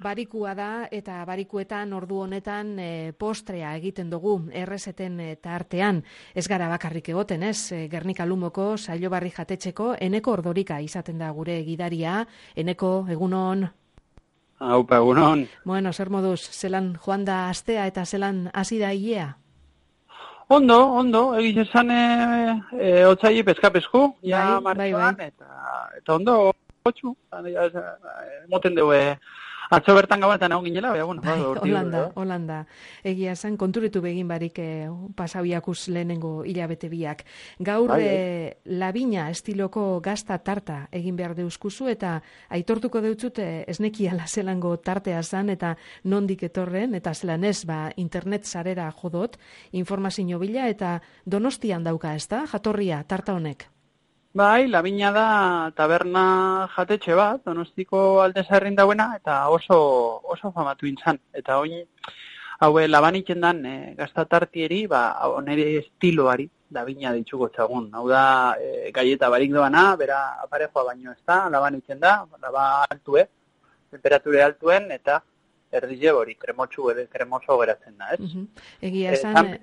Barikua da eta barikuetan ordu honetan postrea egiten dugu errezeten tartean. Ez gara bakarrik egoten, ez? Gernika Lumoko Saiobarri jatetxeko Eneko Ordorika izaten da gure gidaria. Eneko, egunon. Aupa, egunon. Bueno, zer moduz, zelan joan da astea eta zelan hasi da hilea? Ondo, egiz esan otzaile peskapesku, ja martxoan, eta ondo, gotxu, moten dugu, atzo bertan gabanetan egon ginela, Holanda. Egia esan, konturitu begin barik pasauiakuz lehenengo hilabete biak. Gaur labina estiloko gazta tarta egin behar deuskuzu eta aitortuko deutzut esnekiala zelango tartea zan eta nondik etorren, eta zelan ez, internet sarera jodot, informazio bila eta Donostian dauka, ez da, jatorria tarta honek? Bai, labina da taberna jatetxe bat, Donostiko Aldezarrin dauena, eta oso famatu intzan. Eta oin, haue labanitzen dan gaztatartieri, onere estiloari labina ditxuko txagun. Hau da, gaieta barik doana, bera aparejoa baino ez da, labanitzen da, laba altue, temperature altuen, eta erdile hori, kremoso geratzen da, ez? Egia esan...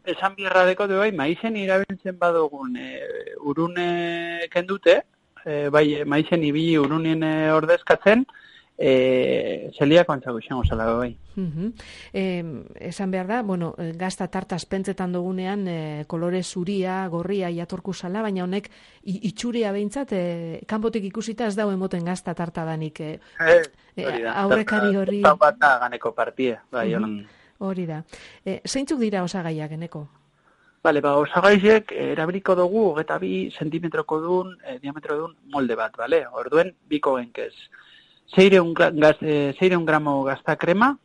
Esan bierra deko du, maizen irabiltzen badugun urune kendute, maizen ibili urunien ordezkatzen, zelia kontzako izango zela, bai. Esan behar da, gazta tartaz pentsetan dugunean, kolore zuria, gorria, jatorku zala, baina honek itxuria behintzat, kanpotik ikusita ez dago emoten gazta tarta danik. Aurrekari horri... Bat da ganeko partia, bai, hori da. Zeintzuk dira osagaiak, Eneko? Bale, osagaizek erabiliko dugu 22 zentimetroko dun, diametro dun molde bat, bale? Orduen, biko genkez. 600 gramo gazta krema,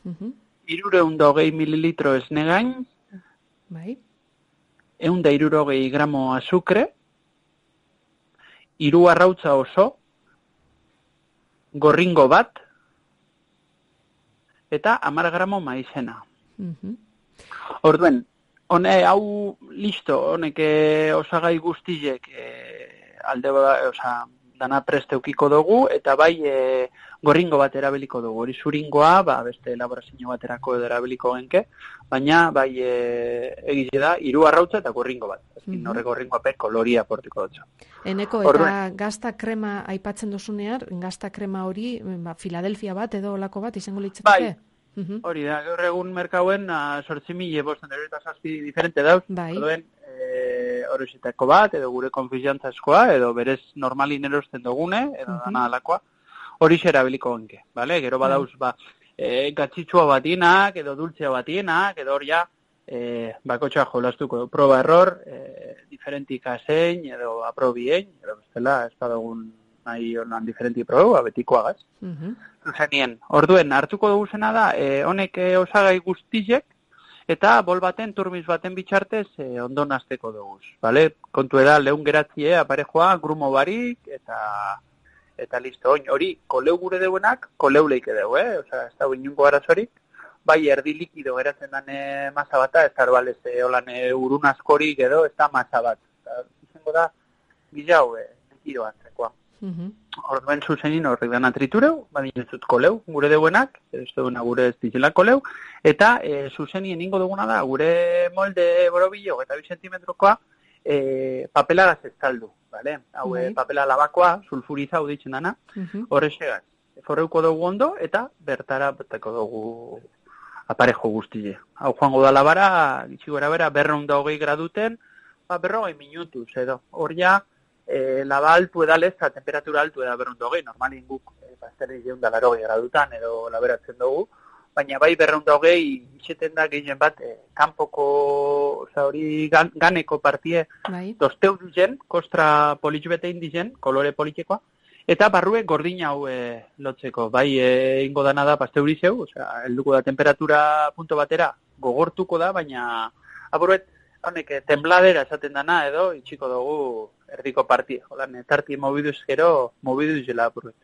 320 mililitro esnegain, 160 gramo azukre, 3 arrautza oso, gorringo bat, eta 10 gramo maizena. Orduen, hau listo, honek osagai guztizek dana preste eukiko dugu, eta bai gorringo bat erabiliko dugu. Hori zuringoa, beste elaborazio baterako edo erabiliko genke, baina bai egize da, 3 arrautza eta gorringo bat. Horre gorringoa koloria portiko dutza. Eneko, eta gazta krema aipatzen duzunean, gazta krema hori, Filadelfia bat edo olako bat izango litzateke? Bai, hori da, gaur egun merkauen 8.500 diferente dauz, horrexetako bat, edo gure konfiantzazkoa, edo berez normalin erosten dugune, edo dana alakoa, hori erabiliko genke, bale? Gero badauz, gatzitsua batienak, edo dultzea batienak, edo hori bakotxa jolastuko, proba error, diferentik azein, edo aprobien, edo bestela, ez badagun nahi honan diferenti proba, betikoagaz. Zuzenien, orduen, hartuko dugu zena da, honek osagai guztizek, eta bol baten, turmiz baten bitxartez, ondo nazteko dugu. Vale? Kontu eda, lehun geratzie, aparejoa, grumo barik, eta listo. Hori, koleu gure deuenak, koleu leike dugu, Osa, ez da inungo arazorik, bai erdi likido geratzen dane masa bata, ez arbalez, holan urun askorik edo, ez da masa bat. Izango da, gizau, likido antzekoa. Orduen zuzenin horrek dana tritureu, badin ez dut koleu, gure deuenak, ez duguna gure ez dizela koleu, eta zuzenien ingo duguna da, gure molde borobillo, eta 2 zentimetrokoa, papelagaz ez taldu, vale? Hau, papela labakoa, sulfuriza hau ditzen dana, horrexegaz. Forreuko dugu ondo, eta bertara beteko dugu aparejo guztile. Hau joango da labara, gitxigora bera, 220 graduten, 40 minutuz, edo. Hor ja, laba altu edalez, eta temperatura altu eda 220, normalin guk, bazterri 180 gradutan, edo laberatzen dugu, baina bai 220 itxeten da gehien bat, kanpoko, hori ganeko partie, dozteu dizen, kostra politxbete indizen, kolore politxekoa, eta barrue gordina hau lotzeko, bai ingo dana da pasteurizeu, helduko da temperatura punto batera, gogortuko da, baina aburuet, honek tembladera esaten dana edo, itxiko dugu erdiko partie, holan, tarti mobiduz gero, mobiduz jela aburuet.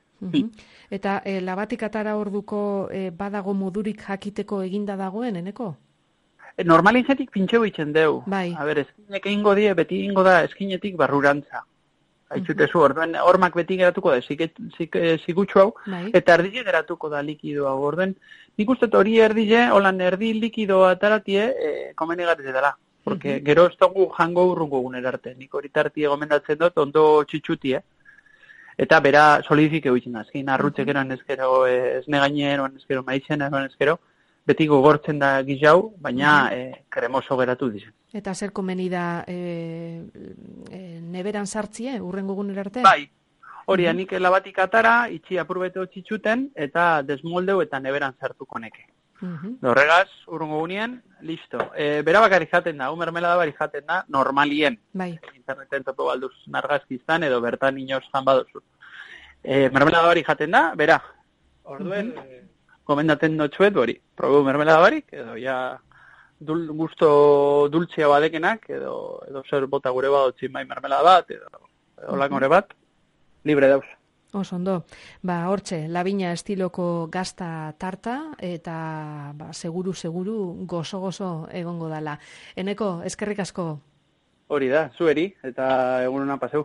Eta labatik atara orduko badago modurik jakiteko eginda dagoen, Eneko? Normalin zetik pintxeu itxen deu. Bai. A ber, eskinek egingo die, beti egingo da eskinetik barrurantza. Aitzutezu, orduen hormak beti geratuko da, zigutxu hau, eta erdile geratuko da likido hau. Orduen, nik uste hori erdile, holan erdi likido ataratie, komenigarri dela. Porque gero ez dugu jango urrungo guner arte. Nik hori tartie gomendatzen dut, ondo txitxuti, Eta bera solidifike huitzen da. Ezkein arrutzek eroan ezkero, esne gainean, ezkero maizen eroan ezkero, beti gogortzen da gizau, baina kremoso geratu dizen. Eta zer komeni da neberan sartzie, urrengo guner arte? Bai, hori nik labatik atara, itxi apurbete txitxuten, eta desmoldeu eta neberan sartuko neke. Horregaz, urrengo gunean, listo. Bera bakarrik jaten da, mermelada barik jaten da, normalien. Bai. Interneten topo balduz nargazkiztan, edo bertan inoz jan baduzu. Mermelada barik jaten da, bera. Orduen, komendaten dutxuet hori. Probu mermelada barik, edo ja gusto dultzea badekenak, edo zer bota gure badotzin bai mermelada bat, edo langore bat, libre dauz. Ondo, hortxe, Laviña estiloko gazta tarta, eta seguru gozo egongo dala. Eneko, eskerrik asko. Hori da, zueri, eta egun hona paseu.